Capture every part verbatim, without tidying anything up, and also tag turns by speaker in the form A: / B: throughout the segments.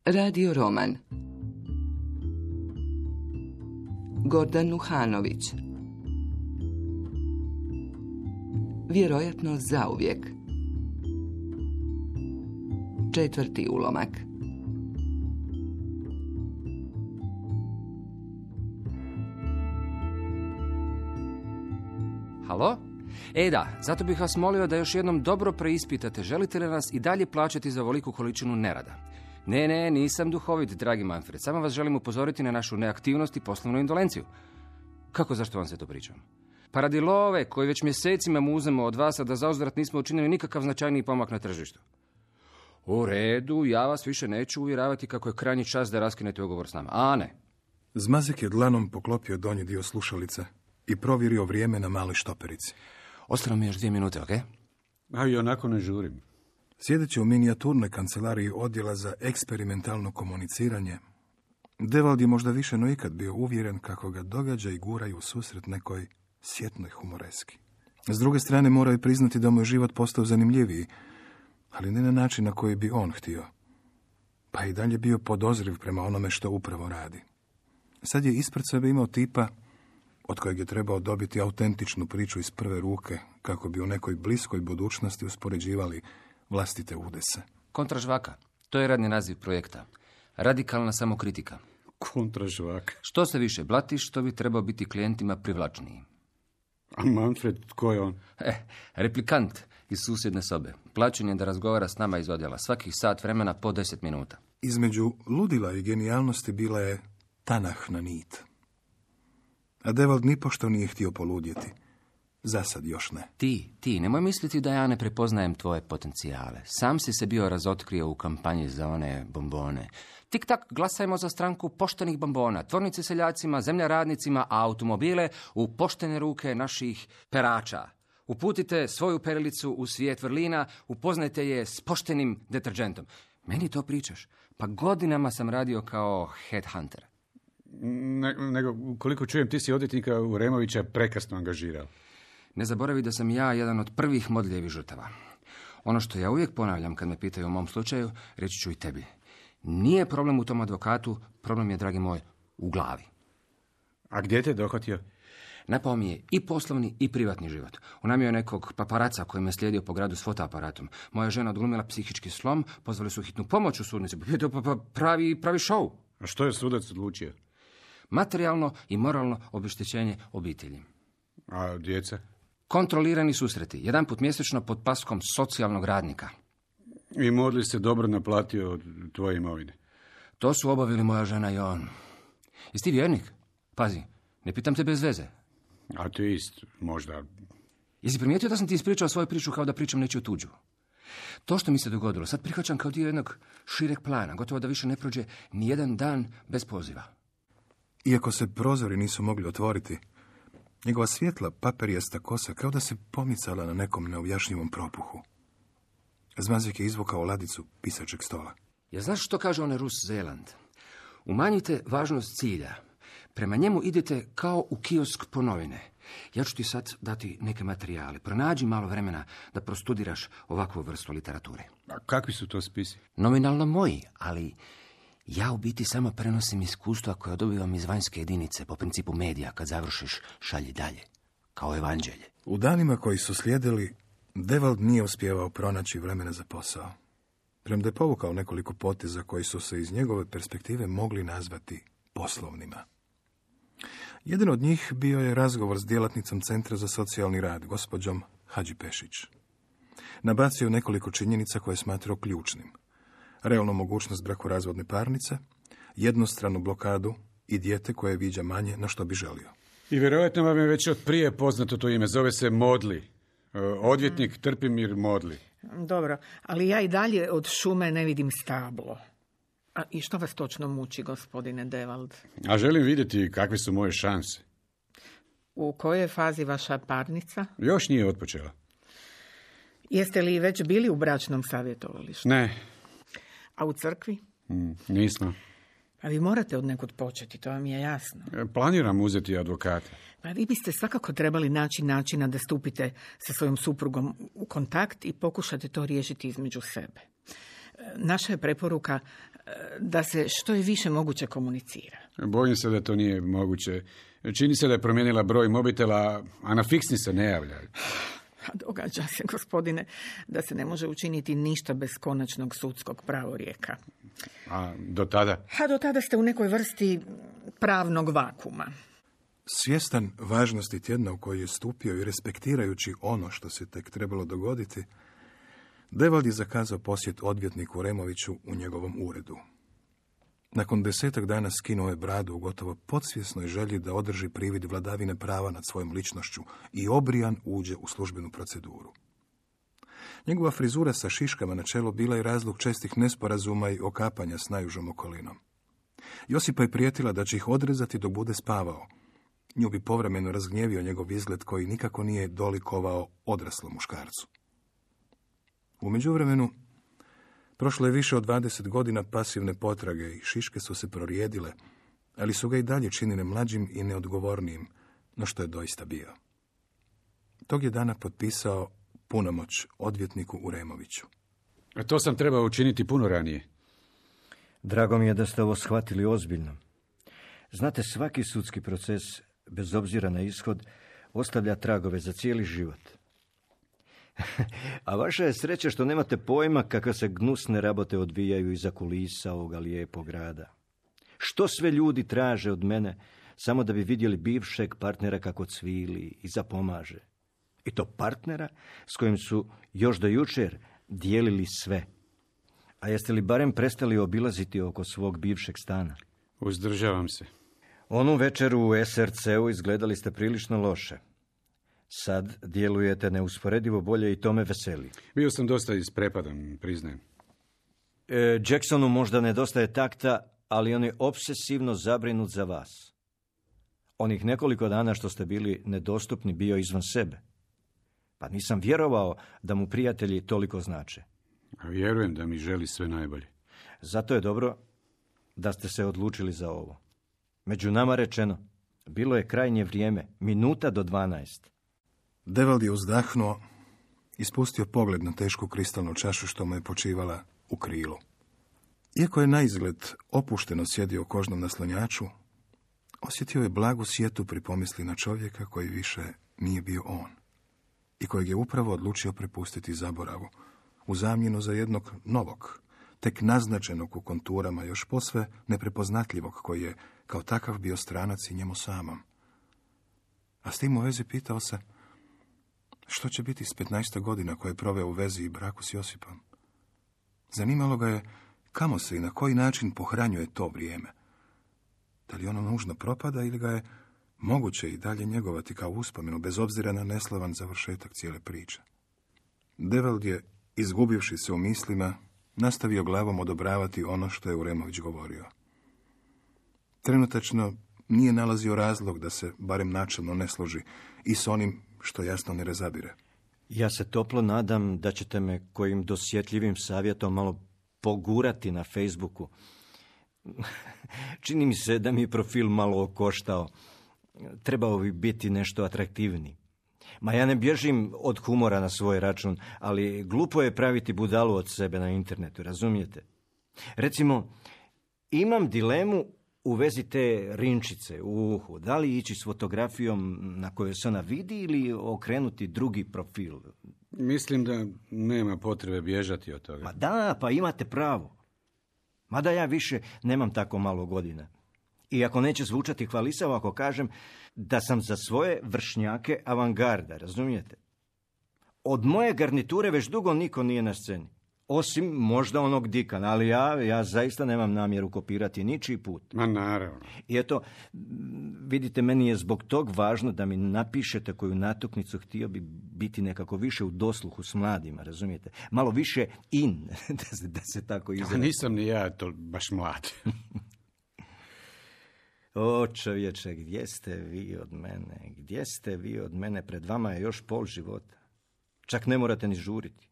A: Radio roman. Gordan Nuhanović. Vjerojatno zauvijek. Četvrti ulomak.
B: Halo? E da, zato bih vas molio da još jednom dobro preispitate želite li nas i dalje plaćati za ovoliku količinu nerada. Ne, ne, nisam duhovit, dragi Manfred. Samo vas želim upozoriti na našu neaktivnost i poslovnu indolenciju. Kako, zašto vam se to pričam? Pa radi love, koji već mjesecima muzemo od vas, a da zauzvrat nismo učinili nikakav značajniji pomak na tržištu. U redu, ja vas više neću uvjeravati kako je krajnji čas da raskinete ugovor s nama. A ne.
C: Zmazek je dlanom poklopio donji dio slušalice i provjerio vrijeme na maloj štoperici.
B: Ostalo mi još dvije minute, ok?
D: A i onako ne žurim.
C: Sjedeći u minijaturnoj kancelariji odjela za eksperimentalno komuniciranje, Devald je možda više no ikad bio uvjeren kako ga događa i guraju u susret nekoj sjetnoj humoreski. S druge strane, morao je priznati da mu je život postao zanimljiviji, ali ne na način na koji bi on htio. Pa i dalje bio podozriv prema onome što upravo radi. Sad je ispred sebe imao tipa od kojeg je trebao dobiti autentičnu priču iz prve ruke, kako bi u nekoj bliskoj budućnosti uspoređivali vlastite udese.
B: Kontražvaka. To je radni naziv projekta. Radikalna samokritika.
D: Kontražvaka.
B: Što se više blatiš, to bi trebao biti klijentima privlačniji.
D: A Manfred, tko je on?
B: Eh, replikant iz susjedne sobe. Plaćen je da razgovara s nama iz odjela. Svakih sat vremena po deset minuta.
C: Između ludila i genijalnosti bila je tanahna nit. A Devald nipošto nije htio poludjeti. Zasad još ne.
B: Ti, ti, nemoj misliti da ja ne prepoznajem tvoje potencijale. Sam si se bio razotkrio u kampanji za one bombone. Tik-tak, glasajmo za stranku poštenih bombona, tvornice seljacima, zemlja radnicima, a automobile u poštene ruke naših perača. Uputite svoju perilicu u svijet vrlina, upoznajte je s poštenim deterđentom. Meni to pričaš? Pa godinama sam radio kao headhunter.
D: Ne, nego, koliko čujem, ti si odvjetnika Uremovića prekrasno angažirao.
B: Ne zaboravi da sam ja jedan od prvih modljevih žrtava. Ono što ja uvijek ponavljam kad me pitaju o mom slučaju, reći ću i tebi. Nije problem u tom advokatu, problem je, dragi moj, u glavi.
D: A gdje te dohvatio?
B: Napao mi je i poslovni i privatni život. Unamio je nekog paparaca koji me slijedio po gradu s fotoaparatom. Moja žena odglumila psihički slom, pozvali su hitnu pomoć u sudnici. Pa, pa, pravi, pravi show.
D: A što je sudac odlučio?
B: Materijalno i moralno obeštećenje obitelji.
D: A djeca?
B: Kontrolirani susreti, jedan put mjesečno pod paskom socijalnog radnika.
D: I Modli se dobro naplatio od tvoje imovine?
B: To su obavili moja žena i on. Jesi ti vjernik? Pazi, ne pitam te bez veze.
D: Ateist, možda.
B: Jesi primijetio da sam ti ispričao svoju priču kao da pričam nečiju tuđu? To što mi se dogodilo, sad prihvaćam kao dio jednog šireg plana, gotovo da više ne prođe ni jedan dan bez poziva.
C: Iako se prozori nisu mogli otvoriti, njegova svjetla paperijasta kosa kao da se pomicala na nekom neobjašnjivom propuhu. Zmazek je izvukao ladicu pisačeg stola.
B: Ja znaš što kaže onaj Rus Zeland? Umanjite važnost cilja. Prema njemu idete kao u kiosk po novine. Ja ću ti sad dati neke materijale. Pronađi malo vremena da prostudiraš ovakvu vrstu literature.
D: A kakvi su to spisi?
B: Nominalno moji, ali ja u biti samo prenosim iskustva koja dobivam iz vanjske jedinice po principu medija. Kad završiš, šalji dalje. Kao evanđelje.
C: U danima koji su slijedili, Devald nije uspijevao pronaći vremena za posao. Premda je povukao nekoliko poteza koji su se iz njegove perspektive mogli nazvati poslovnima. Jedan od njih bio je razgovor s djelatnicom Centra za socijalni rad, gospođom Hadžipešić. Nabacio nekoliko činjenica koje je smatrao ključnim. Realnu mogućnost brakorazvodne parnice, jednostranu blokadu i dijete koje viđa manje na što bi želio.
D: I vjerojatno vam je već od prije poznato to ime, zove se Modli. Odvjetnik Trpimir Modli.
E: Dobro, ali ja i dalje od šume ne vidim stablo. A i što vas točno muči, gospodine Devald?
D: A želim vidjeti kakve su moje šanse.
E: U kojoj je fazi vaša parnica?
D: Još nije otpočela.
E: Jeste li već bili u bračnom savjetovalištu?
D: Ne.
E: A u crkvi?
D: Mm, nismo.
E: A vi morate od nekud početi, to vam je jasno.
D: Planiram uzeti advokata.
E: Pa vi biste svakako trebali naći načina da stupite sa svojom suprugom u kontakt i pokušate to riješiti između sebe. Naša je preporuka da se što je više moguće komunicira.
D: Bojim se da to nije moguće. Čini se da je promijenila broj mobitela, a na fiksni se ne javlja.
E: Događa se, gospodine, da se ne može učiniti ništa bez konačnog sudskog pravorijeka.
D: A do tada?
E: A do tada ste u nekoj vrsti pravnog vakuma.
C: Svjestan važnosti tjedna u koji je stupio i respektirajući ono što se tek trebalo dogoditi, Devald je zakazao posjet odvjetniku Removiću u njegovom uredu. Nakon desetak dana skinuo je bradu u gotovo podsvjesnoj želji da održi privid vladavine prava nad svojom ličnošću i obrijan uđe u službenu proceduru. Njegova frizura sa šiškama na čelu bila je razlog čestih nesporazuma i okapanja s najužom okolinom. Josipa je prijetila da će ih odrezati dok bude spavao. Nju bi povremeno razgnjevio njegov izgled koji nikako nije dolikovao odraslom muškarcu. U međuvremenu, prošlo je više od dvadeset godina pasivne potrage i šiške su se prorijedile, ali su ga i dalje činile mlađim i neodgovornijim, no što je doista bio. Tog je dana potpisao punomoć odvjetniku Uremoviću.
D: A to sam trebao učiniti puno ranije.
F: Drago mi je da ste ovo shvatili ozbiljno. Znate, svaki sudski proces, bez obzira na ishod, ostavlja tragove za cijeli život. A vaša je sreća što nemate pojma kakve se gnusne rabote odvijaju iza kulisa ovoga lijepog grada. Što sve ljudi traže od mene, samo da bi vidjeli bivšeg partnera kako cvili i zapomaže. I to partnera s kojim su još do jučer dijelili sve. A jeste li barem prestali obilaziti oko svog bivšeg stana?
D: Uzdržavam se.
F: Onu večer u es er ce-u izgledali ste prilično loše. Sad djelujete neusporedivo bolje i to me veseli.
D: Bio sam dosta isprepadan, priznajem.
F: E, Jacksonu možda nedostaje takta, ali on je obsesivno zabrinut za vas. Onih nekoliko dana što ste bili nedostupni bio izvan sebe. Pa nisam vjerovao da mu prijatelji toliko znače.
D: A vjerujem da mi želi sve najbolje.
F: Zato je dobro da ste se odlučili za ovo. Među nama rečeno, bilo je krajnje vrijeme, minuta do dvanaest.
C: Devald je uzdahnuo i spustio pogled na tešku kristalnu čašu što mu je počivala u krilu. Iako je naizgled opušteno sjedio u kožnom naslonjaču, osjetio je blagu sjetu pri pomisli na čovjeka koji više nije bio on i kojeg je upravo odlučio prepustiti zaboravu u zamjenu za jednog novog, tek naznačenog u konturama još posve neprepoznatljivog koji je kao takav bio stranac i njemu samom. A s tim u vezi pitao se što će biti s petnaest godina koje je proveo u vezi i braku s Josipom. Zanimalo ga je kamo se i na koji način pohranjuje to vrijeme. Da li ono nužno propada ili ga je moguće i dalje njegovati kao uspomenu bez obzira na neslavan završetak cijele priče. Devald je, izgubivši se u mislima, nastavio glavom odobravati ono što je Uremović govorio. Trenutačno nije nalazio razlog da se barem načelno ne složi i s onim što jasno ne razabire.
F: Ja se toplo nadam da ćete me kojim dosjetljivim savjetom malo pogurati na Facebooku. Čini mi se da mi je profil malo okoštao. Trebao bi biti nešto atraktivniji. Ma ja ne bježim od humora na svoj račun, ali glupo je praviti budalu od sebe na internetu, razumijete? Recimo, imam dilemu u vezi te rinčice u uhu. Da li ići s fotografijom na kojoj se ona vidi ili okrenuti drugi profil?
D: Mislim da nema potrebe bježati od toga.
F: Ma da, pa imate pravo. Mada ja više nemam tako malo godina. Iako neće zvučati hvalisavo ako kažem da sam za svoje vršnjake avangarda, razumijete? Od moje garniture već dugo niko nije na sceni. Osim možda onog Dikana, ali ja, ja zaista nemam namjeru kopirati ničiji put.
D: Ma naravno.
F: I eto, vidite, meni je zbog tog važno da mi napišete koju natuknicu, htio bi biti nekako više u dosluhu s mladima, razumijete? Malo više in, da se, da se tako izrazim.
D: Nisam ni ja to baš mlad.
F: O čovječe, gdje ste vi od mene? Gdje ste vi od mene? Pred vama je još pol života. Čak ne morate ni žuriti.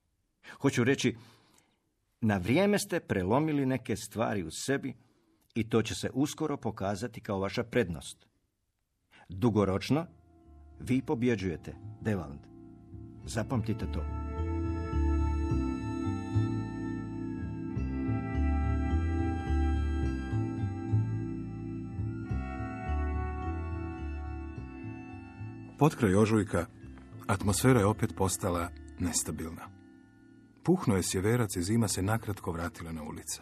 F: Hoću reći, na vrijeme ste prelomili neke stvari u sebi i to će se uskoro pokazati kao vaša prednost. Dugoročno, vi pobjeđujete, Devald. Zapamtite to.
C: Potkraj ožujka atmosfera je opet postala nestabilna. Puhnuo je sjeverac i zima se nakratko vratila na ulice.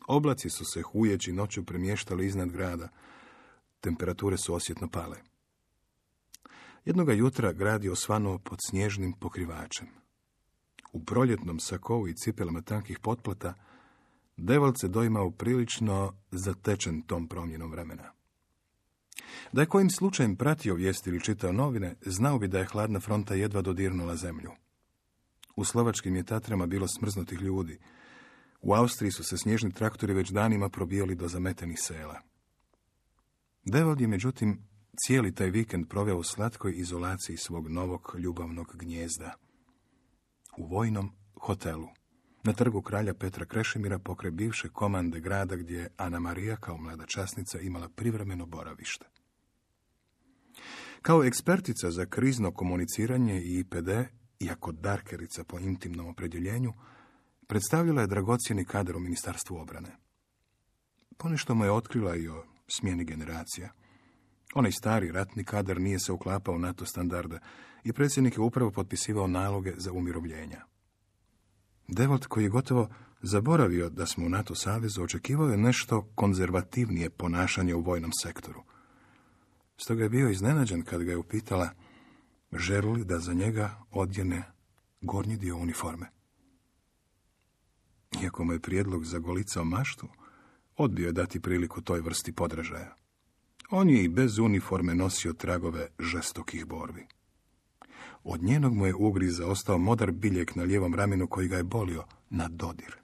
C: Oblaci su se hujeći noću premještali iznad grada. Temperature su osjetno pale. Jednoga jutra grad je osvanuo pod snježnim pokrivačem. U proljetnom sakovu i cipelama tankih potplata Devold se doimao prilično zatečen tom promjenom vremena. Da je kojim slučajem pratio vijesti ili čitao novine, znao bi da je hladna fronta jedva dodirnula zemlju. U slovačkim je Tatrama bilo smrznutih ljudi. U Austriji su se snježni traktori već danima probijali do zametenih sela. Devold je, međutim, cijeli taj vikend proveo u slatkoj izolaciji svog novog ljubavnog gnijezda. U vojnom hotelu, na trgu kralja Petra Krešimira, pokraj bivše komande grada gdje je Ana Marija kao mlada časnica imala privremeno boravište. Kao ekspertica za krizno komuniciranje i I P D, iako darkerica po intimnom opredjeljenju, predstavljala je dragocjeni kadar u Ministarstvu obrane. Ponešto mu je otkrila i o smjeni generacija. Onaj stari ratni kadar nije se uklapao u NATO standarde i predsjednik je upravo potpisivao naloge za umirovljenja. Devold, koji je gotovo zaboravio da smo u NATO savezu, očekivao je nešto konzervativnije ponašanje u vojnom sektoru. Stoga je bio iznenađen kad ga je upitala želi li da za njega odjene gornji dio uniforme. Iako mu je prijedlog zagolicao maštu, odbio je dati priliku toj vrsti podražaja. On je i bez uniforme nosio tragove žestokih borbi. Od njenog mu je ugriza ostao modar biljeg na lijevom ramenu koji ga je bolio na dodir.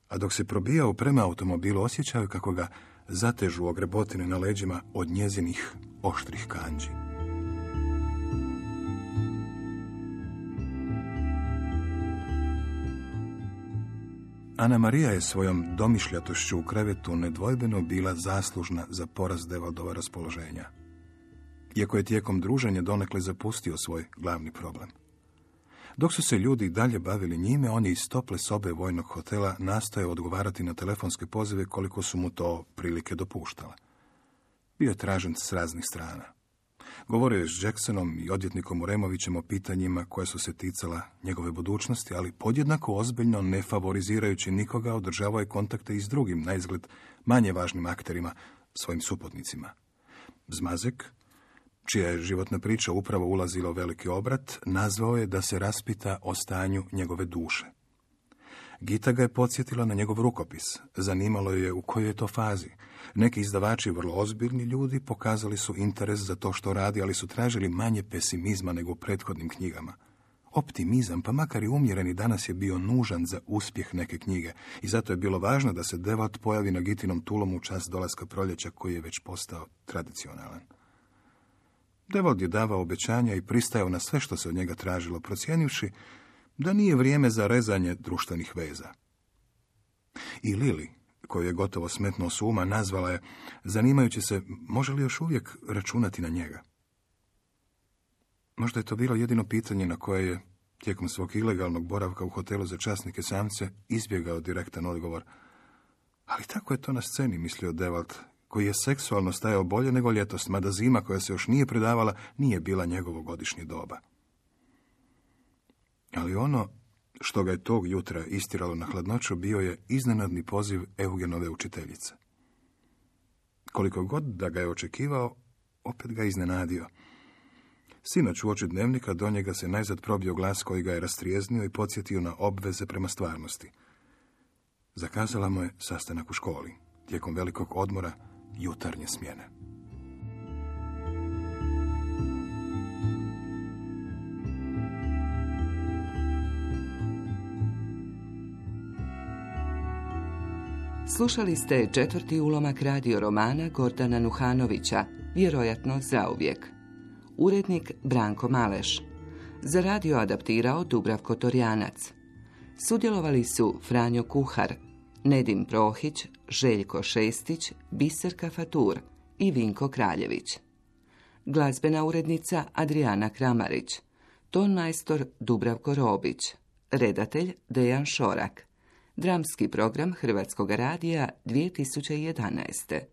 C: A dok se probijao prema automobilu, osjećao kako ga zatežu ogrebotine na leđima od njezinih oštrih kandži. Ana Marija je svojom domišljatošću u krevetu nedvojbeno bila zaslužna za porast Devoldova raspoloženja. Iako je tijekom druženja donekle zapustio svoj glavni problem. Dok su se ljudi dalje bavili njime, on je iz tople sobe vojnog hotela nastojao odgovarati na telefonske pozive koliko su mu to prilike dopuštale. Bio je tražen s raznih strana. Govorio je s Jacksonom i odvjetnikom Uremovićem o pitanjima koja su se ticala njegove budućnosti, ali podjednako ozbiljno, ne favorizirajući nikoga, održavao je kontakte i s drugim, naizgled manje važnim akterima, svojim suputnicima. Zmazek, čija je životna priča upravo ulazila u veliki obrat, nazvao je da se raspita o stanju njegove duše. Gita ga je podsjetila na njegov rukopis. Zanimalo je u kojoj je to fazi. Neki izdavači, vrlo ozbiljni ljudi, pokazali su interes za to što radi, ali su tražili manje pesimizma nego u prethodnim knjigama. Optimizam, pa makar i umjereni, danas je bio nužan za uspjeh neke knjige i zato je bilo važno da se Devold pojavi na Gitinom tulom u čas dolaska proljeća koji je već postao tradicionalan. Devold je davao obećanja i pristajao na sve što se od njega tražilo, procijenivši da nije vrijeme za rezanje društvenih veza. I Lili, koju je gotovo smetnuo s uma, nazvala je, zanimajući se može li još uvijek računati na njega. Možda je to bilo jedino pitanje na koje je, tijekom svog ilegalnog boravka u hotelu za časnike samce, izbjegao direktan odgovor. Ali tako je to na sceni, mislio Devold, koji je seksualno stajao bolje nego ljetos, mada zima koja se još nije predavala nije bila njegovo godišnje doba. Ali ono što ga je tog jutra istiralo na hladnoću bio je iznenadni poziv Eugenove učiteljice. Koliko god da ga je očekivao, opet ga iznenadio. Sinoć uoči dnevnika do njega se najzad probio glas koji ga je rastrijeznio i podsjetio na obveze prema stvarnosti. Zakazala mu je sastanak u školi, tijekom velikog odmora jutarnje smjene.
A: Slušali ste četvrti ulomak radio romana Gordana Nuhanovića, Vjerojatno zauvijek. Urednik Branko Maleš. Za radio adaptirao Dubravko Torjanac. Sudjelovali su Franjo Kuhar, Nedim Prohić, Željko Šestić, Biserka Fatur i Vinko Kraljević. Glazbena urednica Adriana Kramarić. Tonmajstor Dubravko Robić. Redatelj Dejan Šorak. Dramski program Hrvatskog radija dvije tisuće jedanaeste.